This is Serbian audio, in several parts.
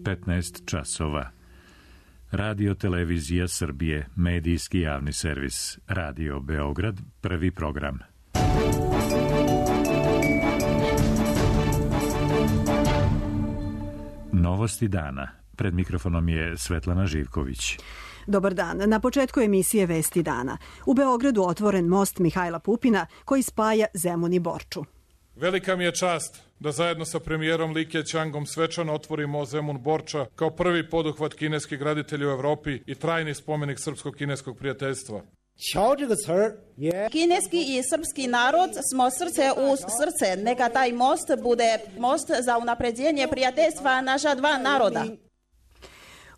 15 časova. Radio Televizija Srbije, medijski javni servis, Radio Beograd, prvi program. Novosti dana. Pred mikrofonom je Svetlana Živković. Dobar dan. Na početku emisije Vesti dana. U Beogradu otvoren most Mihajla Pupina koji spaja Zemun i Borču. Velika mi je čast da zajedno sa premijerom Li Keqiangom svečano otvorimo Zemun-Borča kao prvi poduhvat kineskih graditelja u Evropi i trajni spomenik srpsko-kineskog prijateljstva. Kineski i srpski narod smo srce uz srce. Neka taj most bude most za unapređenje prijateljstva naša dva naroda.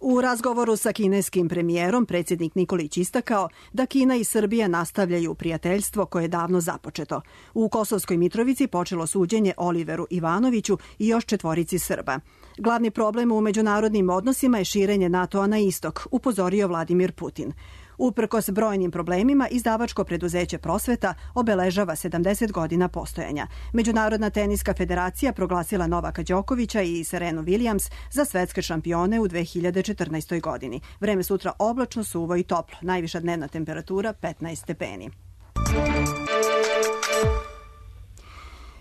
U razgovoru sa kineskim premijerom predsjednik Nikolić istakao da Kina i Srbija nastavljaju prijateljstvo koje je davno započeto. U Kosovskoj Mitrovici počelo suđenje Oliveru Ivanoviću i još 4 Srba. Glavni problem u međunarodnim odnosima je širenje NATO-a na istok, upozorio Vladimir Putin. Uprkos brojnim problemima, izdavačko preduzeće Prosveta obeležava 70 godina postojanja. Međunarodna teniska federacija proglasila Novaka Đokovića i Serenu Williams za svetske šampione u 2014. godini. Vreme sutra oblačno, suvo i toplo. Najviša dnevna temperatura 15 stepeni.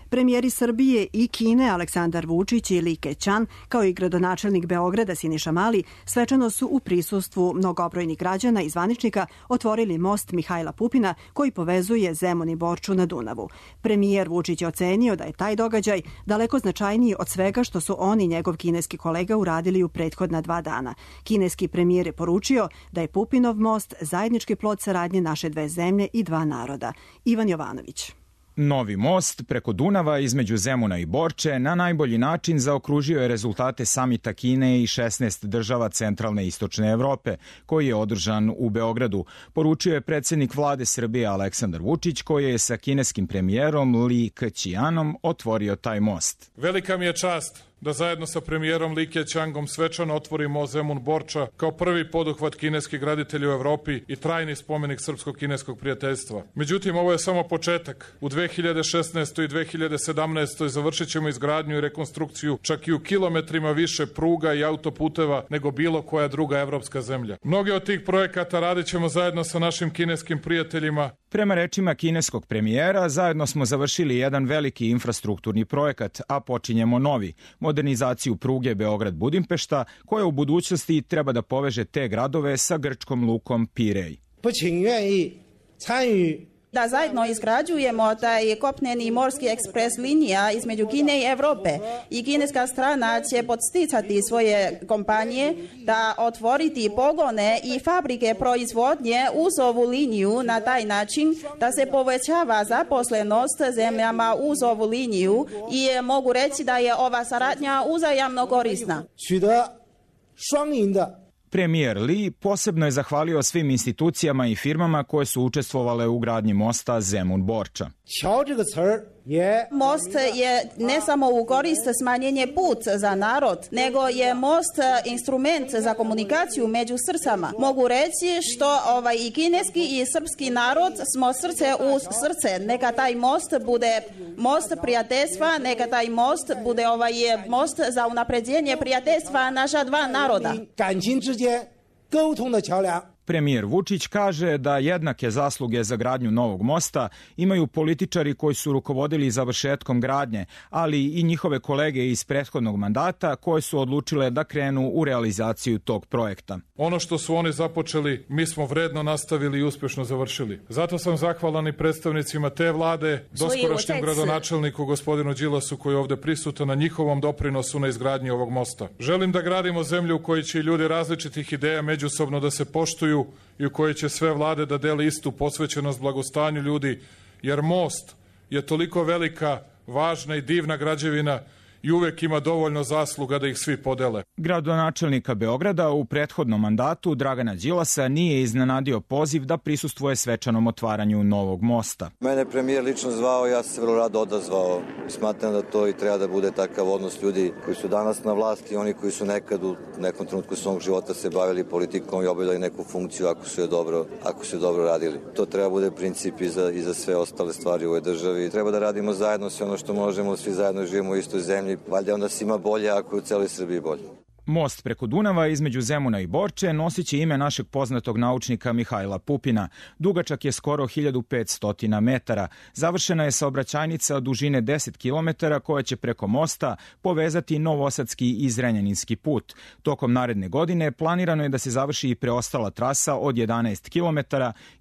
Premijeri Srbije i Kine Aleksandar Vučić i Li Keqiang, kao i gradonačelnik Beograda Siniša Mali, svečano su u prisustvu mnogobrojnih građana i zvaničnika otvorili most Mihajla Pupina koji povezuje Zemun i Borču na Dunavu. Premijer Vučić je ocenio da je taj događaj daleko značajniji od svega što su on i njegov kineski kolega uradili u prethodna 2 dana. Kineski premijer je poručio da je Pupinov most zajednički plod saradnje naše dve zemlje i dva naroda. Ivan Jovanović. Novi most preko Dunava između Zemuna i Borče na najbolji način zaokružio je rezultate samita Kine i 16 država centralne i istočne Evrope, koji je održan u Beogradu, poručio je predsjednik vlade Srbije Aleksandar Vučić, koji je sa kineskim premijerom Li Keqiangom otvorio taj most. Velika mi je čast da zajedno sa premijerom Li Keqiangom svečano otvorimo Zemun-Borča kao prvi poduhvat kineskih graditelja u Evropi i trajni spomenik srpsko-kineskog prijateljstva. Međutim, ovo je samo početak. U 2016. i 2017. završit ćemo izgradnju i rekonstrukciju čak i u kilometrima više pruga i autoputeva nego bilo koja druga evropska zemlja. Mnoge od tih projekata radit ćemo zajedno sa našim kineskim prijateljima. Prema rečima kineskog premijera, zajedno smo završili jedan veliki infrastrukturni projekat, a počinjemo novi, modernizaciju pruge Beograd-Budimpešta, koja u budućnosti treba da poveže te gradove sa grčkom lukom Pirej. Da zajedno izgrađujemo taj kopneni morski ekspres linija između Kine i Evrope i kineska strana će podsticati svoje kompanije da otvoriti pogone i fabrike proizvodnje uz ovu liniju na taj način da se povećava zaposlenost zemljama uz ovu liniju i mogu reći da je ova saradnja uzajamno korisna. Premijer Li posebno je zahvalio svim institucijama i firmama koje su učestvovale u gradnji mosta Zemun-Borča. Most je ne samo u korist smanjenje put za narod, nego je most instrument za komunikaciju među srcama. Mogu reći što i kineski i srpski narod smo srce uz srce. Neka taj most bude most prijateljstva, neka taj most bude most za unapređenje prijateljstva naša dva naroda. Premijer Vučić kaže da jednake zasluge za gradnju novog mosta imaju političari koji su rukovodili završetkom gradnje, ali i njihove kolege iz prethodnog mandata koje su odlučile da krenu u realizaciju tog projekta. Ono što su oni započeli, mi smo vredno nastavili i uspješno završili. Zato sam zahvalan i predstavnicima te vlade, doskorašnjem gradonačelniku gospodinu Đilasu koji je ovde prisutan na njihovom doprinosu na izgradnji ovog mosta. Želim da gradimo zemlju u kojoj će ljudi različitih ideja međusobno da se poštuju i u kojoj će sve vlade da dele istu posvećenost blagostanju ljudi, jer most je toliko velika, važna i divna građevina i uvek ima dovoljno zasluga da ih svi podele. Gradonačelnika Beograda u prethodnom mandatu Dragana Đilasa nije iznenadio poziv da prisustvuje svečanom otvaranju novog mosta. Mene premijer lično zvao, ja sam se vrlo rado odazvao. Smatram da to i treba da bude takav odnos ljudi koji su danas na vlasti i oni koji su nekad u nekom trenutku svog života se bavili politikom i obavljali neku funkciju ako su je dobro radili. To treba bude princip i za sve ostale stvari u ovoj državi. Treba da radimo zajedno sve ono što možemo, svi zajedno živimo u istoj zemlji. Valjda onda svima bolje ako je u celoj Srbiji bolje. Most preko Dunava između Zemuna i Borče nosit će ime našeg poznatog naučnika Mihajla Pupina. Dugačak je skoro 1500 metara. Završena je saobraćajnica dužine 10 km koja će preko mosta povezati Novosadski i Zrenjaninski put. Tokom naredne godine planirano je da se završi i preostala trasa od 11 km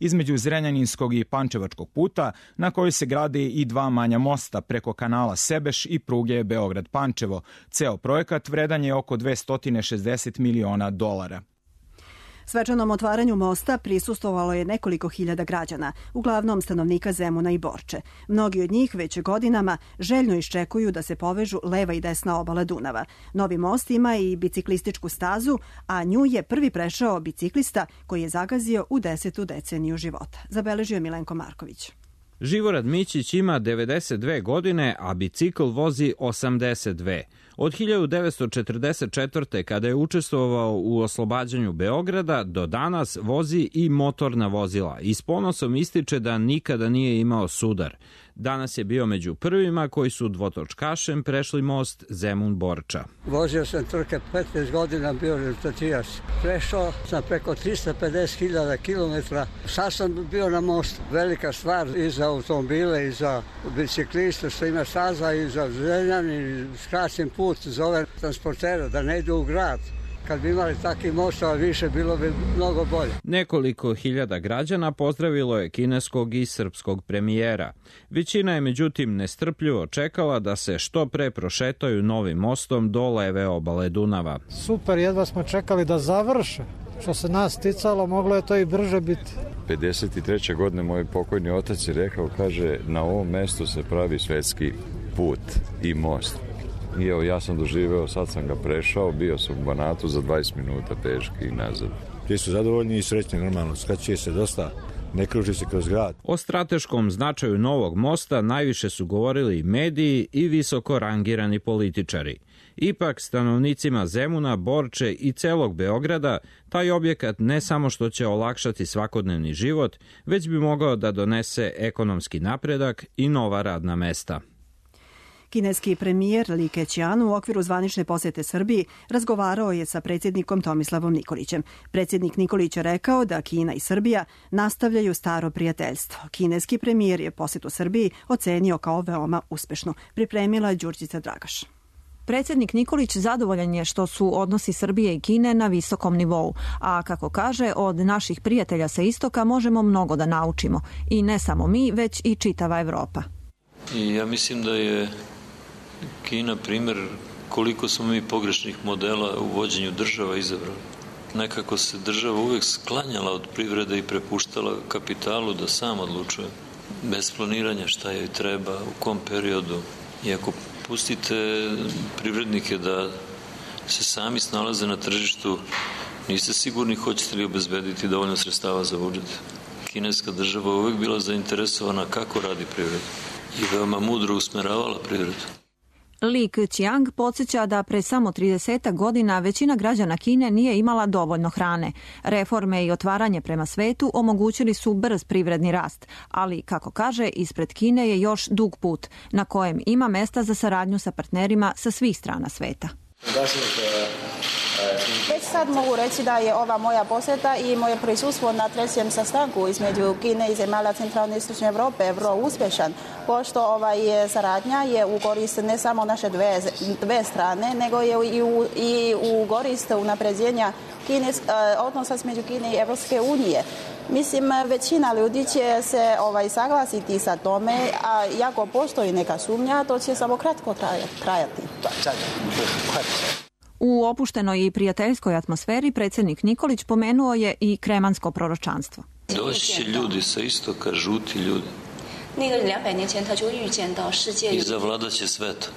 između Zrenjaninskog i Pančevačkog puta, na kojoj se grade i dva manja mosta preko kanala Sebeš i pruge Beograd-Pančevo. Ceo projekat vredan je oko 260 miliona dolara. Svečanom otvaranju mosta prisustvovalo je nekoliko hiljada građana, uglavnom stanovnika Zemuna i Borče. Mnogi od njih već godinama željno iščekuju da se povežu leva i desna obala Dunava. Novi most ima i biciklističku stazu, a nju je prvi prešao biciklista koji je zagazio u 10. deceniju života. Zabeležio je Milenko Marković. Živorad Mićić ima 92 godine, a bicikl vozi 82. Od 1944. kada je učestvovao u oslobađanju Beograda do danas vozi i motorna vozila i s ponosom ističe da nikada nije imao sudar. Danas je bio među prvima koji su dvotočkašem prešli most Zemun-Borča. Vozio sam trke 15 godina, bio rezultatijaš. Prešao sam preko 350.000 kilometra. Sad sam bio na mostu. Velika stvar i za automobile i za bicikliste što ima staza i za Zrenjanin, skraćen put za ove transportere da ne idu u grad. Kad bi imali takvih mostova više, bilo bi mnogo bolje. Nekoliko hiljada građana pozdravilo je kineskog i srpskog premijera. Većina je međutim nestrpljivo čekala da se što pre prošetaju novim mostom do leve obale Dunava. Super, jedva smo čekali da završe. Što se nas ticalo, moglo je to i brže biti. 53. godine moj pokojni otac je rekao, kaže, na ovom mestu se pravi svetski put i most. I evo, ja sam doživeo, sad sam ga prešao, bio sam u Banatu za 20 minuta peški i nazad. Ti su zadovoljni i srećni, normalno, skraćuje se dosta, ne kruži se kroz grad. O strateškom značaju novog mosta najviše su govorili mediji i visoko rangirani političari. Ipak, stanovnicima Zemuna, Borče i celog Beograda, taj objekat ne samo što će olakšati svakodnevni život, već bi mogao da donese ekonomski napredak i nova radna mesta. Kineski premijer Li Keqiang u okviru zvanične posete Srbiji razgovarao je sa predsjednikom Tomislavom Nikolićem. Predsjednik Nikolić je rekao da Kina i Srbija nastavljaju staro prijateljstvo. Kineski premijer je posetu Srbiji ocenio kao veoma uspešnu. Pripremila Đurđica Dragaš. Predsjednik Nikolić zadovoljan je što su odnosi Srbije i Kine na visokom nivou, a kako kaže, od naših prijatelja sa istoka možemo mnogo da naučimo. I ne samo mi, već i čitava Evropa. I ja mislim da je Kina primjer koliko smo mi pogrešnih modela u vođenju država izabrali. Nekako se država uvek sklanjala od privrede i prepuštala kapitalu da sam odlučuje. Bez planiranja šta joj treba, u kom periodu. I ako pustite privrednike da se sami snalaze na tržištu, niste sigurni hoćete li obezbediti dovoljno sredstava za budžet. Kineska država uvek bila zainteresovana kako radi privreda i veoma mudro usmeravala privredu. Li Keqiang podsjeća da pre samo 30 godina većina građana Kine nije imala dovoljno hrane. Reforme i otvaranje prema svetu omogućili su brz privredni rast, ali, kako kaže, ispred Kine je još dug put, na kojem ima mesta za saradnju sa partnerima sa svih strana sveta. Već sad mogu reći da je ova moja posjeta i moje prisustvo na trećem sastanku između Kine i zemalja centralne i istočne Evrope vrlo uspješan, pošto saradnja je u korist ne samo naše dve strane, nego je i u korist unapređenja odnosa između Kine i Evropske unije. Mislim, većina ljudi će se saglasiti sa tome, a ako postoji neka sumnja, to će samo kratko trajati. U opuštenoj i prijateljskoj atmosferi predsjednik Nikolić pomenuo je i kremansko proročanstvo. Doći će ljudi sa istoka, žuti ljudi. I zavladat će svetom.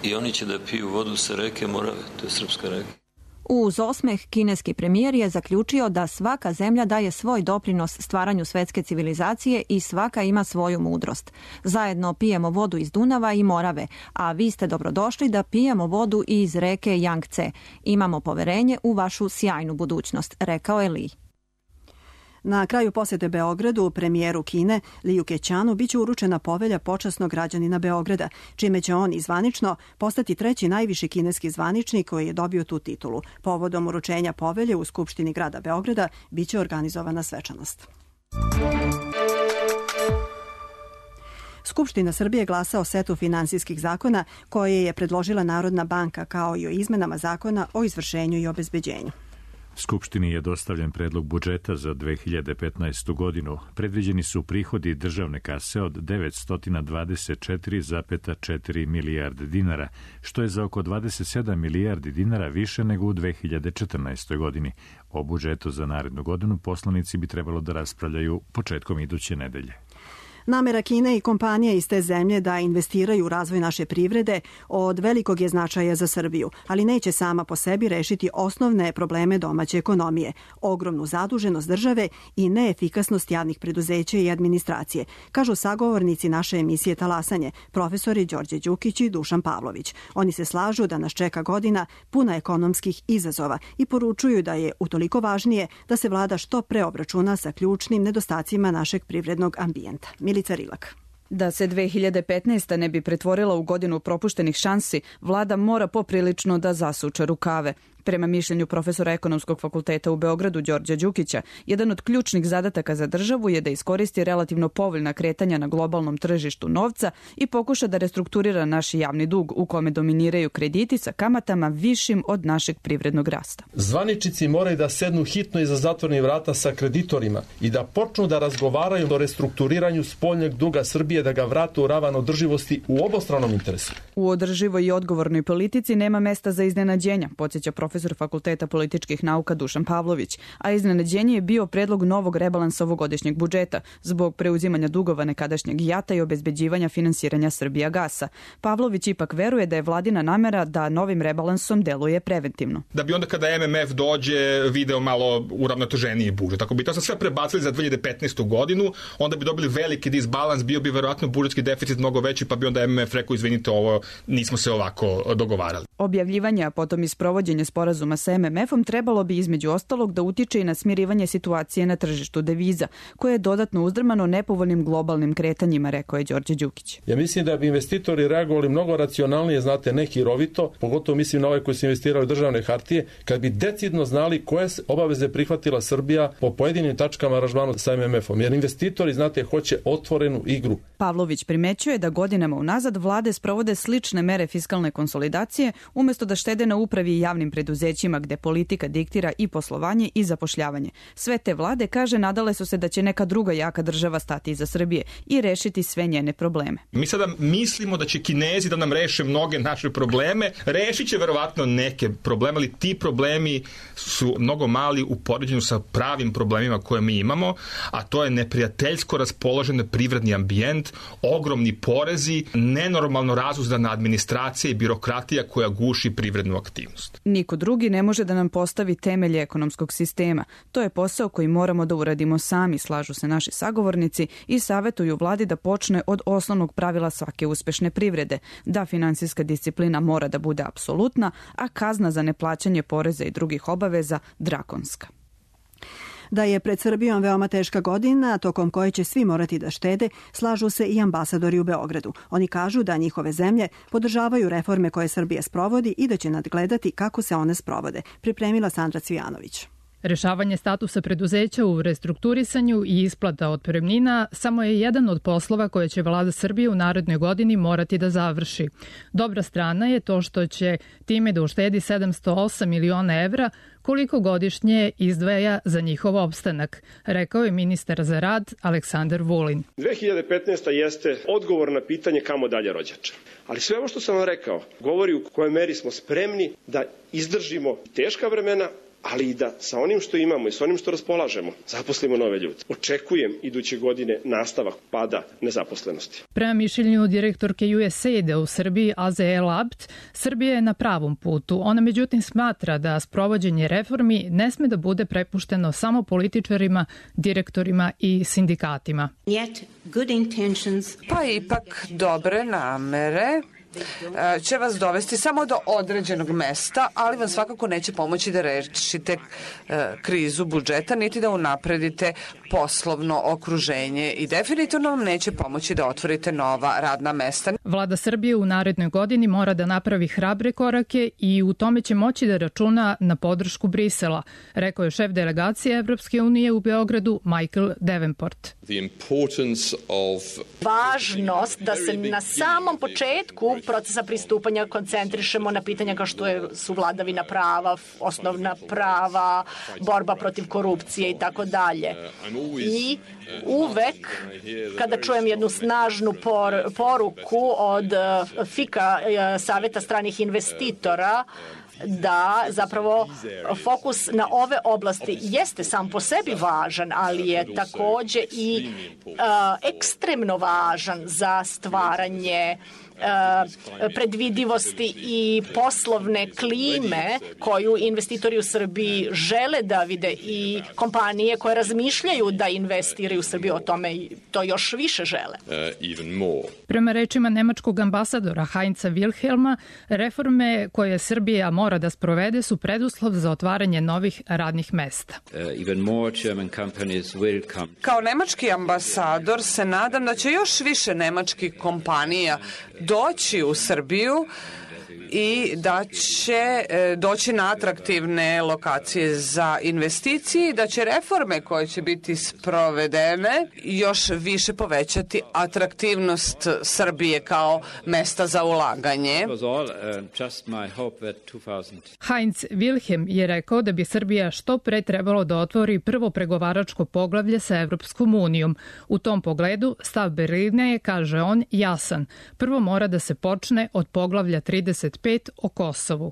I oni će da piju vodu sa reke Morave, to je srpska reka. Uz osmeh kineski premijer je zaključio da svaka zemlja daje svoj doprinos stvaranju svetske civilizacije i svaka ima svoju mudrost. Zajedno pijemo vodu iz Dunava i Morave, a vi ste dobrodošli da pijemo vodu iz reke Yangtze. Imamo poverenje u vašu sjajnu budućnost, rekao je Li. Na kraju posete Beogradu premijeru Kine Liu Keqiangu biće uručena povelja počasnog građanina Beograda, čime će on zvanično postati treći najviši kineski zvaničnik koji je dobio tu titulu. Povodom uručenja povelje u Skupštini grada Beograda biće organizovana svečanost. Skupština Srbije glasa o setu finansijskih zakona koje je predložila Narodna banka, kao i o izmenama zakona o izvršenju i obezbeđenju. Skupštini je dostavljen predlog budžeta za 2015. godinu. Predviđeni su prihodi državne kase od 924,4 milijarde dinara, što je za oko 27 milijardi dinara više nego u 2014. godini. O budžetu za narednu godinu poslanici bi trebalo da raspravljaju početkom iduće nedelje. Namera Kine i kompanije iz te zemlje da investiraju u razvoj naše privrede od velikog je značaja za Srbiju, ali neće sama po sebi rešiti osnovne probleme domaće ekonomije, ogromnu zaduženost države i neefikasnost javnih preduzeća i administracije, kažu sagovornici naše emisije Talasanje, profesori Đorđe Đukić i Dušan Pavlović. Oni se slažu da nas čeka godina puna ekonomskih izazova i poručuju da je utoliko važnije da se vlada što pre obračuna sa ključnim nedostacima našeg privrednog ambijenta. Milica Rilak. Da se 2015. ne bi pretvorila u godinu propuštenih šansi, vlada mora poprilično da zasuče rukave. Prema mišljenju profesora Ekonomskog fakulteta u Beogradu Đorđa Đukića, jedan od ključnih zadataka za državu je da iskoristi relativno povoljna kretanja na globalnom tržištu novca i pokuša da restrukturira naš javni dug u kome dominiraju krediti sa kamatama višim od našeg privrednog rasta. Zvaničnici moraju da sednu hitno iza zatvornih vrata sa kreditorima i da počnu da razgovaraju o restrukturiranju spoljnog duga Srbije, da ga vrate u ravan održivosti u obostranom interesu. U održivoj i odgovornoj politici nema mesta za iznenađenja, podsjeća profesor Fakulteta političkih nauka Dušan Pavlović, a iznenađenje je bio predlog novog rebalansa ovogodišnjeg budžeta zbog preuzimanja dugova nekadašnjeg JAT-a i obezbeđivanja finansiranja Srbijagasa. Pavlović ipak veruje da je vladina namera da novim rebalansom deluje preventivno. Da bi onda kada MMF dođe video malo uravnoteženiji budžet. Ako bi to sve prebacili za 2015. godinu, onda bi dobili veliki disbalans, bio bi verovatno budžetski deficit mnogo veći, pa bi onda MMF rekao izvinite, ovo nismo se ovako dogovarali. Objavljivanje, a potom i sprovođenje sporazuma sa MMF-om trebalo bi između ostalog da utiče i na smirivanje situacije na tržištu deviza, koje je dodatno uzdrmano nepovoljnim globalnim kretanjima, rekao je Đorđe Đukić. Ja mislim da bi investitori reagovali mnogo racionalnije, znate, ne hirovito, pogotovo mislim na ove koji se investiraju u državne hartije, kad bi decidno znali koje obaveze prihvatila Srbija po pojedinim tačkama aranžmana sa MMF-om, jer investitori, znate, hoće otvorenu igru. Pavlović primećuje da godinama unazad vlade sprovode slične mere fiskalne konsolidacije umesto da štede na upravi i javnim preduzećima gde politika diktira i poslovanje i zapošljavanje. Sve te vlade, kaže, nadale su se da će neka druga jaka država stati iza Srbije i rešiti sve njene probleme. Mi sada mislimo da će Kinezi da nam reše mnoge naše probleme, rešit će verovatno neke probleme, ali ti problemi su mnogo mali u poređenju sa pravim problemima koje mi imamo, a to je neprijateljsko raspoložen privredni ambijent, ogromni porezi, nenormalno razuzdana administracija i birokratija koja guši privrednu aktivnost. Niko drugi ne može da nam postavi temelje ekonomskog sistema. To je posao koji moramo da uradimo sami, slažu se naši sagovornici i savetuju vladi da počne od osnovnog pravila svake uspešne privrede, da finansijska disciplina mora da bude apsolutna, a kazna za neplaćanje poreza i drugih obaveza drakonska. Da je pred Srbijom veoma teška godina, tokom koje će svi morati da štede, slažu se i ambasadori u Beogradu. Oni kažu da njihove zemlje podržavaju reforme koje Srbija sprovodi i da će nadgledati kako se one sprovode. Pripremila Sandra Cvijanović. Rešavanje statusa preduzeća u restrukturisanju i isplata otpremnina samo je jedan od poslova koje će vlada Srbije u narednoj godini morati da završi. Dobra strana je to što će time da uštedi 708 miliona evra, koliko godišnje izdvaja za njihov opstanak, rekao je ministar za rad Aleksandar Vulin. 2015. jeste odgovor na pitanje kamo dalje, rođače. Ali sve ovo što sam vam rekao govori u kojoj meri smo spremni da izdržimo teška vremena, ali i da sa onim što imamo i sa onim što raspolažemo zaposlimo nove ljude. Očekujem iduće godine nastavak pada nezaposlenosti. Prema mišljenju direktorke USAID-a u Srbiji Aze Labt, Srbija je na pravom putu. Ona međutim smatra da sprovođenje reformi ne sme da bude prepušteno samo političarima, direktorima i sindikatima. Pa ipak dobre namere će vas dovesti samo do određenog mesta, ali vam svakako neće pomoći da rešite krizu budžeta, niti da unapredite poslovno okruženje i definitivno vam neće pomoći da otvorite nova radna mesta. Vlada Srbije u narednoj godini mora da napravi hrabre korake i u tome će moći da računa na podršku Brisela, rekao je šef delegacije Evropske unije u Beogradu Michael Davenport. Važnost da se na samom početku procesa pristupanja koncentrišemo na pitanja kao što su vladavina prava, osnovna prava, borba protiv korupcije i tako dalje. I uvek kada čujem jednu snažnu poruku od FIKA, Saveta stranih investitora, da zapravo fokus na ove oblasti jeste sam po sebi važan, ali je takođe i ekstremno važan za stvaranje predvidivosti i poslovne klime koju investitori u Srbiji žele da vide i kompanije koje razmišljaju da investiraju u Srbiju o tome to još više žele. Prema rečima nemačkog ambasadora Heinza Wilhelma, reforme koje Srbija mora da sprovede su preduslov za otvaranje novih radnih mesta. Kao nemački ambasador se nadam da će još više nemačkih kompanija doći u Srbiju i da će doći na atraktivne lokacije za investicije i da će reforme koje će biti sprovedene još više povećati atraktivnost Srbije kao mesta za ulaganje. Heinz Wilhelm je rekao da bi Srbija što pre trebalo da otvori prvo pregovaračko poglavlje sa Evropskom unijom. U tom pogledu stav Berlina je, kaže on, jasan. Prvo mora da se počne od poglavlja 35 o Kosovu.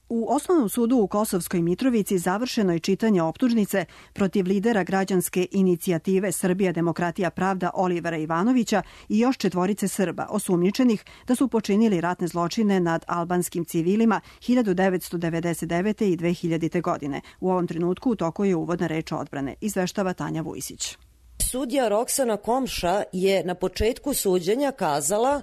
U Osnovnom sudu u Kosovskoj Mitrovici završeno je čitanje optužnice protiv lidera građanske inicijative Srbija, demokratija, pravda Olivera Ivanovića i još 4 Srba osumnjičenih da su počinili ratne zločine nad albanskim civilima 1999. i 2000. godine. U ovom trenutku u toku je uvodna reč odbrane, izveštava Tanja Vujsić. Sudija Roksana Komša je na početku suđenja kazala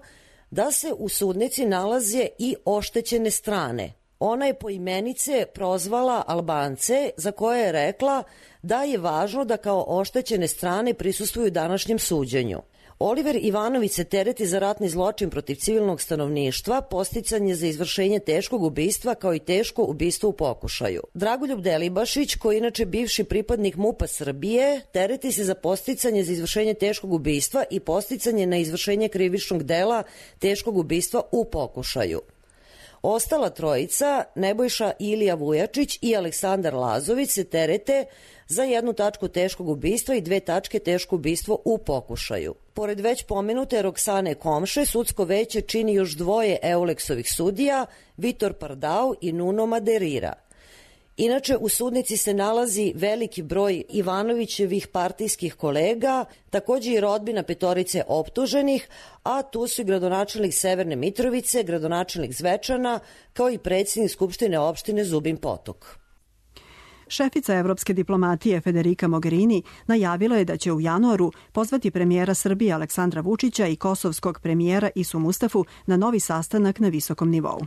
da se u sudnici nalaze i oštećene strane. Ona je poimenice prozvala Albance, za koje je rekla da je važno da kao oštećene strane prisustvuju današnjem suđenju. Oliver Ivanović se tereti za ratni zločin protiv civilnog stanovništva, podsticanje za izvršenje teškog ubistva kao i teško ubistvo u pokušaju. Dragoljub Delibašić, koji je inače bivši pripadnik MUP-a Srbije, tereti se za podsticanje za izvršenje teškog ubistva i podsticanje na izvršenje krivičnog dela teškog ubistva u pokušaju. Ostala trojica, Nebojša Ilija Vujačić i Aleksandar Lazović, se terete za 1 tačku teškog ubistva i 2 tačke teško ubistvo u pokušaju. Pored već pomenute Roksane Komše, sudsko veće čini još 2 Euleksovih sudija, Vitor Pardau i Nuno Maderira. Inače, u sudnici se nalazi veliki broj Ivanovićevih partijskih kolega, takođe i rodbina 5 optuženih, a tu su i gradonačelnik Severne Mitrovice, gradonačelnik Zvečana, kao i predsjednik Skupštine opštine Zubin Potok. Šefica evropske diplomatije Federica Mogherini najavila je da će u januaru pozvati premijera Srbije Aleksandra Vučića i kosovskog premijera Isu Mustafu na novi sastanak na visokom nivou.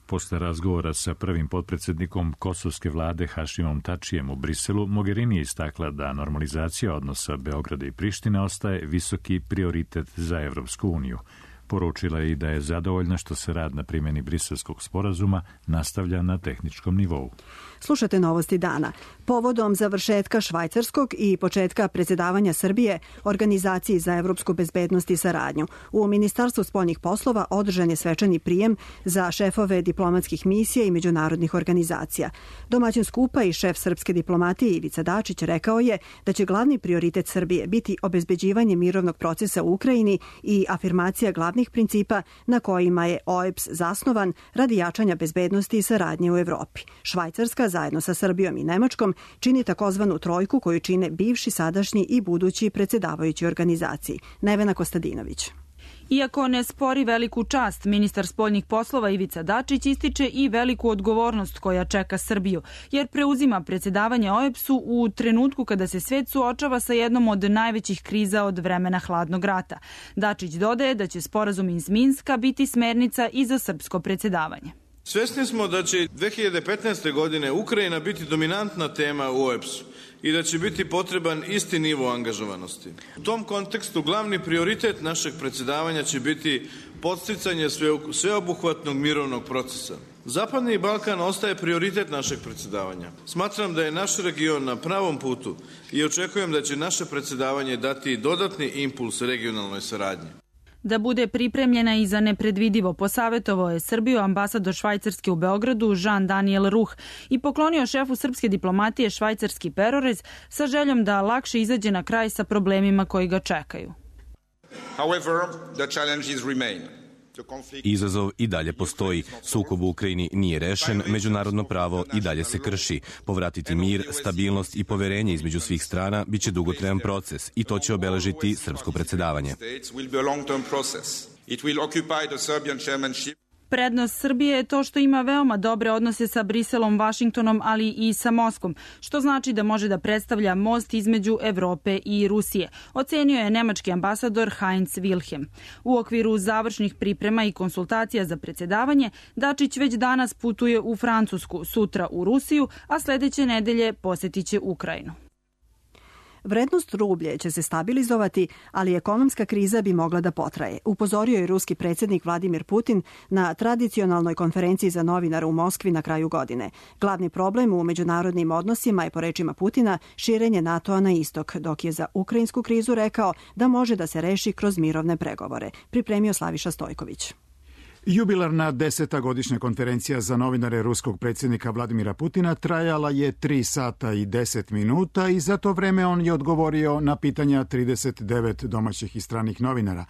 Posle razgovora sa prvim potpredsednikom kosovske vlade Hašimom Tačijem u Briselu, Mogherini je istakla da normalizacija odnosa Beograda i Prištine ostaje visoki prioritet za Evropsku uniju. Poručila je i da je zadovoljna što se rad na primjeni Briselskog sporazuma nastavlja na tehničkom nivou. Slušate novosti dana. Povodom završetka švajcarskog i početka predsjedavanja Srbije Organizaciji za evropsku bezbednost i saradnju, u Ministarstvu spoljnih poslova održan je svečani prijem za šefove diplomatskih misija i međunarodnih organizacija. Domaćin skupa i šef srpske diplomatije Ivica Dačić rekao je da će glavni prioritet Srbije biti obezbeđivanje mirovnog procesa u Ukrajini i afirmacija glavnih principa na kojima je OEBS zasnovan radi jačanja bezbednosti i saradnje u Evropi. Švajcarska zajedno sa Srbijom i Nemačkom čini takozvanu trojku koju čine bivši, sadašnji i budući predsjedavajući organizaciji. Nevena Kostadinović. Iako ne spori veliku čast, ministar spoljnih poslova Ivica Dačić ističe i veliku odgovornost koja čeka Srbiju, jer preuzima predsjedavanje OEBS-u u trenutku kada se svet suočava sa jednom od najvećih kriza od vremena hladnog rata. Dačić dodaje da će sporazum iz Minska biti smernica i za srpsko predsjedavanje. Svesni smo da će 2015. godine Ukrajina biti dominantna tema u OEBS-u i da će biti potreban isti nivo angažovanosti. U tom kontekstu glavni prioritet našeg predsjedavanja će biti podsticanje sveobuhvatnog mirovnog procesa. Zapadni Balkan ostaje prioritet našeg predsjedavanja. Smatram da je naš region na pravom putu i očekujem da će naše predsjedavanje dati dodatni impuls regionalnoj saradnji. Da bude pripremljena i za nepredvidivo, posavjetovao je Srbiju ambasador Švajcarske u Beogradu Jean Daniel Ruh i poklonio šefu srpske diplomatije švajcarski perorez sa željom da lakše izađe na kraj sa problemima koji ga čekaju. However, the challenges remain. Izazov i dalje postoji. Sukob u Ukrajini nije rešen, međunarodno pravo i dalje se krši. Povratiti mir, stabilnost i poverenje između svih strana biće dugotrajan proces i to će obeležiti srpsko predsjedavanje. Prednost Srbije je to što ima veoma dobre odnose sa Briselom, Vašingtonom, ali i sa Moskvom, što znači da može da predstavlja most između Evrope i Rusije, ocenio je nemački ambasador Heinz Wilhelm. U okviru završnih priprema i konsultacija za predsjedavanje, Dačić već danas putuje u Francusku, sutra u Rusiju, a sledeće nedelje posjetiće Ukrajinu. Vrednost rublje će se stabilizovati, ali ekonomska kriza bi mogla da potraje, upozorio je ruski predsjednik Vladimir Putin na tradicionalnoj konferenciji za novinare u Moskvi na kraju godine. Glavni problem u međunarodnim odnosima je, po rečima Putina, širenje NATO-a na istok, dok je za ukrajinsku krizu rekao da može da se reši kroz mirovne pregovore. Pripremio Slaviša Stojković. Jubilarna 10. godišnja konferencija za novinare ruskog predsjednika Vladimira Putina trajala je 3 sata i 10 minuta i za to vreme on je odgovorio na pitanja 39 domaćih i stranih novinara.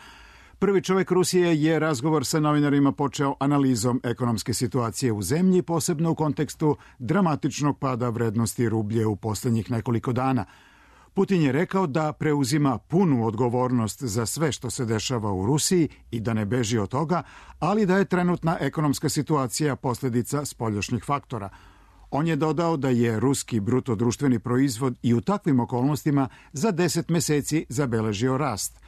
Prvi čovjek Rusije je razgovor sa novinarima počeo analizom ekonomske situacije u zemlji, posebno u kontekstu dramatičnog pada vrednosti rublje u posljednjih nekoliko dana. Putin je rekao da preuzima punu odgovornost za sve što se dešava u Rusiji i da ne beži od toga, ali da je trenutna ekonomska situacija posljedica spoljašnjih faktora. On je dodao da je ruski bruto društveni proizvod i u takvim okolnostima za 10 meseci zabeležio rast.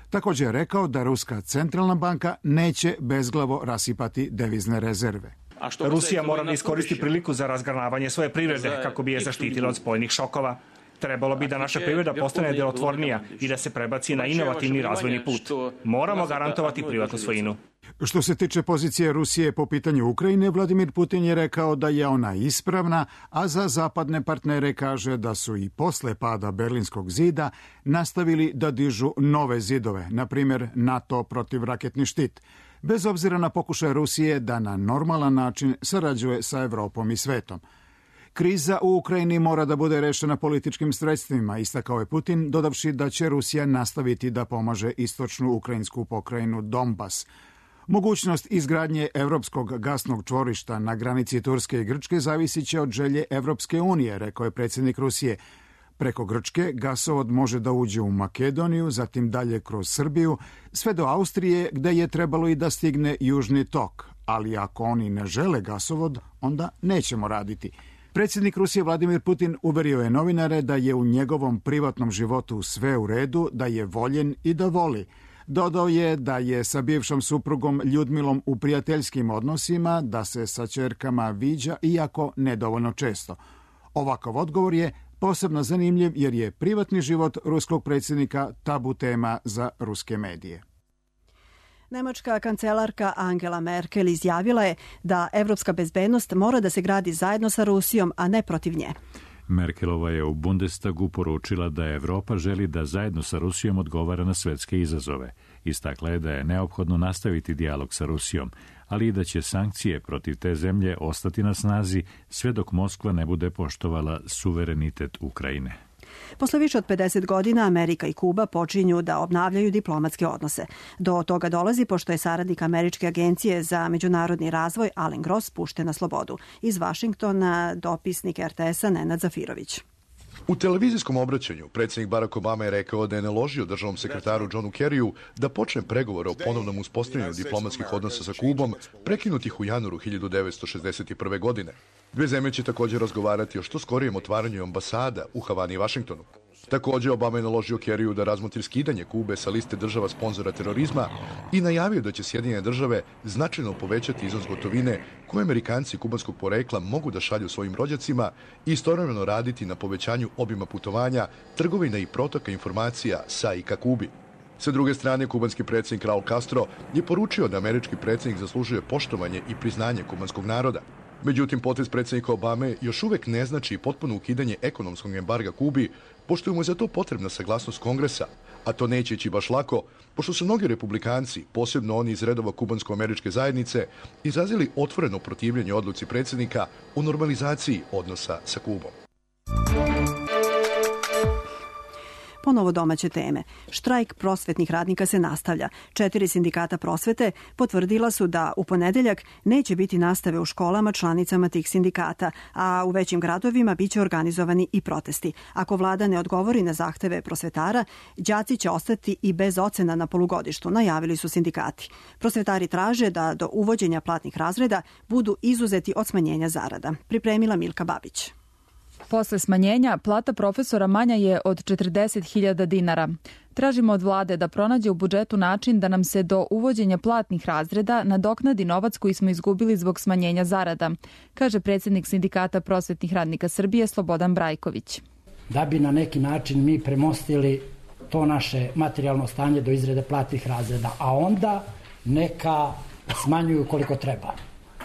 Također je rekao da Ruska centralna banka neće bezglavo rasipati devizne rezerve. Rusija mora da iskoristi priliku za razgranavanje svoje privrede kako bi je zaštitila od spoljnih šokova. Trebalo bi da naša privreda postane delotvornija i da se prebaci na inovativni razvojni put. Moramo garantovati privatnu svojinu. Što se tiče pozicije Rusije po pitanju Ukrajine, Vladimir Putin je rekao da je ona ispravna, a za zapadne partnere kaže da su i posle pada Berlinskog zida nastavili da dižu nove zidove, na primjer NATO protivraketni štit, bez obzira na pokušaj Rusije da na normalan način sarađuje sa Evropom i svetom. Kriza u Ukrajini mora da bude rešena političkim sredstvima, istakao je Putin, dodavši da će Rusija nastaviti da pomaže istočnu ukrajinsku pokrajinu Donbas. Mogućnost izgradnje evropskog gasnog čvorišta na granici Turske i Grčke zavisit će od želje Evropske unije, rekao je predsjednik Rusije. Preko Grčke gasovod može da uđe u Makedoniju, zatim dalje kroz Srbiju, sve do Austrije, gde je trebalo i da stigne Južni tok. Ali ako oni ne žele gasovod, onda nećemo raditi. Predsjednik Rusije Vladimir Putin uverio je novinare da je u njegovom privatnom životu sve u redu, da je voljen i da voli. Dodao je da je sa bivšom suprugom Ljudmilom u prijateljskim odnosima, da se sa ćerkama viđa, iako nedovoljno često. Ovakav odgovor je posebno zanimljiv jer je privatni život ruskog predsjednika tabu tema za ruske medije. Nemačka kancelarka Angela Merkel izjavila je da evropska bezbednost mora da se gradi zajedno sa Rusijom, a ne protiv nje. Merkelova je u Bundestagu poručila da Evropa želi da zajedno sa Rusijom odgovara na svetske izazove. Istakla je da je neophodno nastaviti dijalog sa Rusijom, ali i da će sankcije protiv te zemlje ostati na snazi sve dok Moskva ne bude poštovala suverenitet Ukrajine. Posle više od 50 godina Amerika i Kuba počinju da obnavljaju diplomatske odnose. Do toga dolazi pošto je saradnik Američke agencije za međunarodni razvoj Alen Gross pušten na slobodu. Iz Vašingtona dopisnik RTS-a Nenad Zafirović. U televizijskom obraćanju predsjednik Barack Obama je rekao da je naložio državnom sekretaru Johnu Kerryu da počne pregovore o ponovnom uspostavljanju diplomatskih odnosa sa Kubom, prekinutih u januaru 1961. godine. Dve zemlje će također razgovarati o što skorijem otvaranju ambasada u Havani i Vašingtonu. Također, Obama je naložio Kerryu da razmotri skidanje Kube sa liste država sponzora terorizma i najavio da će Sjedinjene države značajno povećati iznos gotovine koje Amerikanci kubanskog porekla mogu da šalju svojim rođacima i istovremeno raditi na povećanju obima putovanja, trgovine i protoka informacija sa i ka Kubi. Sa druge strane, kubanski predsjednik Raul Castro je poručio da američki predsjednik zaslužuje poštovanje i priznanje kubanskog naroda. Međutim, potez predsjednika Obame još uvek ne znači potpuno ukidanje ekonomskog embarga Kubi, pošto mu je za to potrebna saglasnost Kongresa, a to neće ići baš lako, pošto su mnogi republikanci, posebno oni iz redova kubansko-američke zajednice, izrazili otvoreno protivljenje odluci predsjednika o normalizaciji odnosa sa Kubom. Ponovo domaće teme. Štrajk prosvetnih radnika se nastavlja. 4 sindikata prosvete potvrdila su da u ponedeljak neće biti nastave u školama članicama tih sindikata, a u većim gradovima biće organizovani i protesti. Ako vlada ne odgovori na zahteve prosvetara, đaci će ostati i bez ocena na polugodištu, najavili su sindikati. Prosvetari traže da do uvođenja platnih razreda budu izuzeti od smanjenja zarada. Pripremila Milka Babić. Posle smanjenja, plata profesora manja je od 40.000 dinara. Tražimo od vlade da pronađe u budžetu način da nam se do uvođenja platnih razreda nadoknadi novac koji smo izgubili zbog smanjenja zarada, kaže predsjednik Sindikata prosvetnih radnika Srbije Slobodan Brajković. Da bi na neki način mi premostili to naše materijalno stanje do izrade platnih razreda, a onda neka smanjuju koliko treba.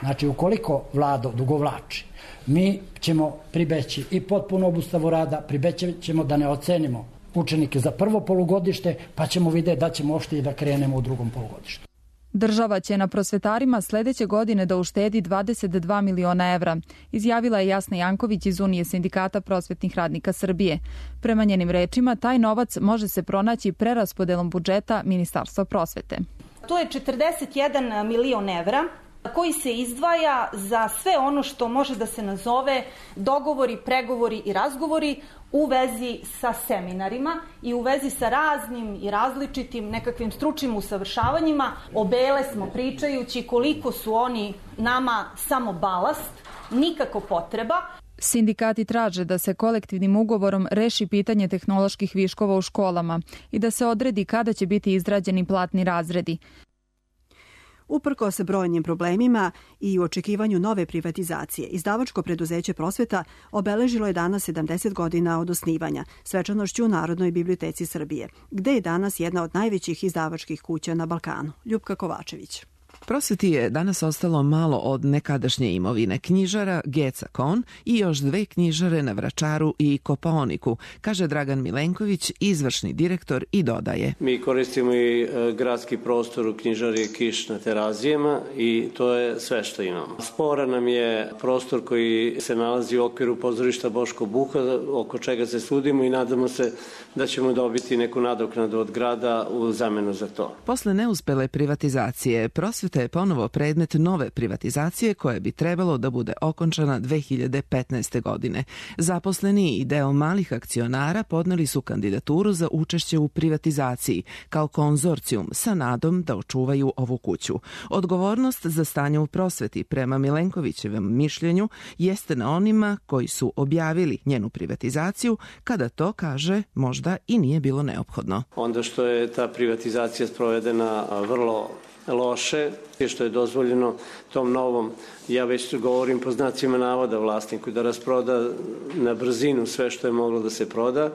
Znači, ukoliko vlada odugovlači, mi ćemo pribeći i potpuno obustavu rada, pribeći ćemo da ne ocenimo učenike za prvo polugodište, pa ćemo vidjeti da ćemo ošte i da krenemo u drugom polugodištu. Država će na prosvetarima sledeće godine da uštedi 22 miliona evra, izjavila je Jasna Janković iz Unije sindikata prosvetnih radnika Srbije. Prema njenim rečima, taj novac može se pronaći preraspodelom budžeta Ministarstva prosvete. To je 41 milion evra koji se izdvaja za sve ono što može da se nazove dogovori, pregovori i razgovori u vezi sa seminarima i u vezi sa raznim i različitim nekakvim stručnim usavršavanjima. Obele smo pričajući koliko su oni nama samo balast, nikako potreba. Sindikati traže da se kolektivnim ugovorom reši pitanje tehnoloških viškova u školama i da se odredi kada će biti izrađeni platni razredi. Uprkos brojnim problemima i u očekivanju nove privatizacije, izdavačko preduzeće Prosveta obeležilo je danas 70 godina od osnivanja, svečanošću u Narodnoj biblioteci Srbije, gde je danas jedna od najvećih izdavačkih kuća na Balkanu. Ljupka Kovačević. Prosveti je danas ostalo malo od nekadašnje imovine knjižara Geca Kon i još 2 knjižare na Vračaru i Kopaoniku, kaže Dragan Milenković, izvršni direktor, i dodaje. Mi koristimo i gradski prostor u knjižari Kiš na Terazijama i to je sve što imamo. Sporan nam je prostor koji se nalazi u okviru pozorišta Boško Buha, oko čega se sudimo i nadamo se da ćemo dobiti neku nadoknadu od grada u zamenu za to. Posle neuspele privatizacije, Prosveta je ponovo predmet nove privatizacije koja bi trebalo da bude okončana 2015. godine. Zaposleni i deo malih akcionara podneli su kandidaturu za učešće u privatizaciji kao konzorcijum sa nadom da očuvaju ovu kuću. Odgovornost za stanje u prosveti, prema Milenkovićevom mišljenju, jeste na onima koji su objavili njenu privatizaciju, kada to, kaže, možda i nije bilo neophodno. Onda što je ta privatizacija sprovedena vrlo loše, što je dozvoljeno tom novom, ja već govorim po znacima navoda, vlasniku da rasproda na brzinu sve što je moglo da se proda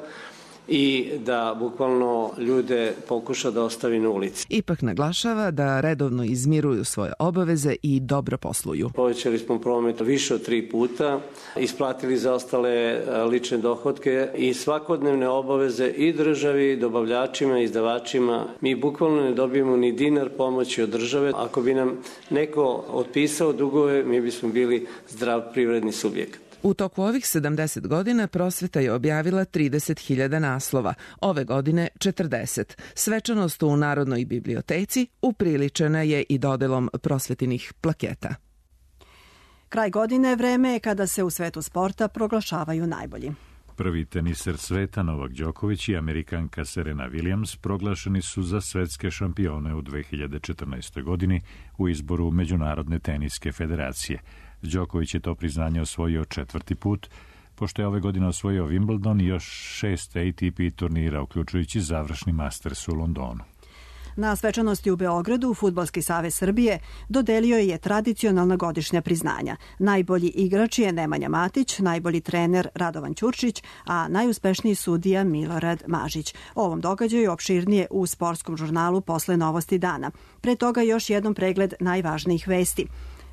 i da bukvalno ljude pokuša da ostavi na ulici. Ipak naglašava da redovno izmiruju svoje obaveze i dobro posluju. Povećali smo promet više od 3 puta, isplatili zaostale lične dohotke i svakodnevne obaveze i državi, dobavljačima, izdavačima. Mi bukvalno ne dobijemo ni dinar pomoći od države. Ako bi nam neko otpisao dugove, mi bismo bili zdrav privredni subjekt. U toku ovih 70 godina Prosveta je objavila 30.000 naslova, ove godine 40. Svečanost u Narodnoj biblioteci upriličena je i dodelom prosvetinih plaketa. Kraj godine je vreme kada se u svetu sporta proglašavaju najbolji. Prvi teniser sveta Novak Đoković i Amerikanka Serena Williams proglašeni su za svetske šampione u 2014. godini u izboru Međunarodne teniske federacije. Đoković je to priznanje osvojio 4. put, pošto je ove godine osvojio Wimbledon i još 6 ATP turnira, uključujući završni Masters u Londonu. Na svečanosti u Beogradu Fudbalski savez Srbije dodelio je tradicionalna godišnja priznanja. Najbolji igrač je Nemanja Matić, najbolji trener Radovan Ćurčić, a najuspešniji sudija Milorad Mažić. O ovom događaju opširnije u sportskom žurnalu posle Novosti dana. Pre toga još jednom pregled najvažnijih vesti.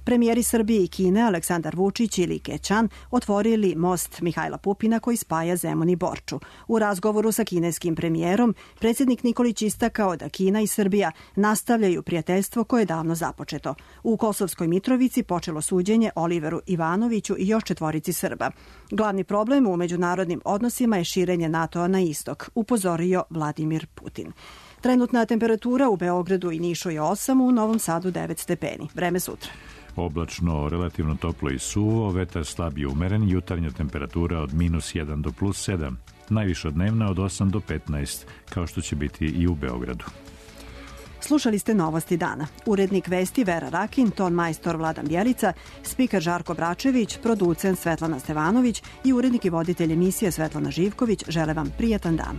Premijeri Srbije i Kine Aleksandar Vučić i Li Keqiang otvorili most Mihajla Pupina koji spaja Zemun i Borču. U razgovoru sa kineskim premijerom, predsjednik Nikolić istakao da Kina i Srbija nastavljaju prijateljstvo koje je davno započeto. U Kosovskoj Mitrovici počelo suđenje Oliveru Ivanoviću i još 4 Srba. Glavni problem u međunarodnim odnosima je širenje NATO-a na istok, upozorio Vladimir Putin. Trenutna temperatura u Beogradu i Nišu je 8, u Novom Sadu 9 stepeni. Vreme sutra. Oblačno, relativno toplo i suvo, vetar slab i umeren, jutarnja temperatura od -1 do +7, najviša dnevna od 8 do 15, kao što će biti i u Beogradu. Slušali ste Novosti dana. Urednik vesti Vera Rakin, ton majstor Vladan Bjelica, spiker Žarko Bračević, producent Svetlana Stevanović i urednik i voditelj emisije Svetlana Živković žele vam prijatan dan.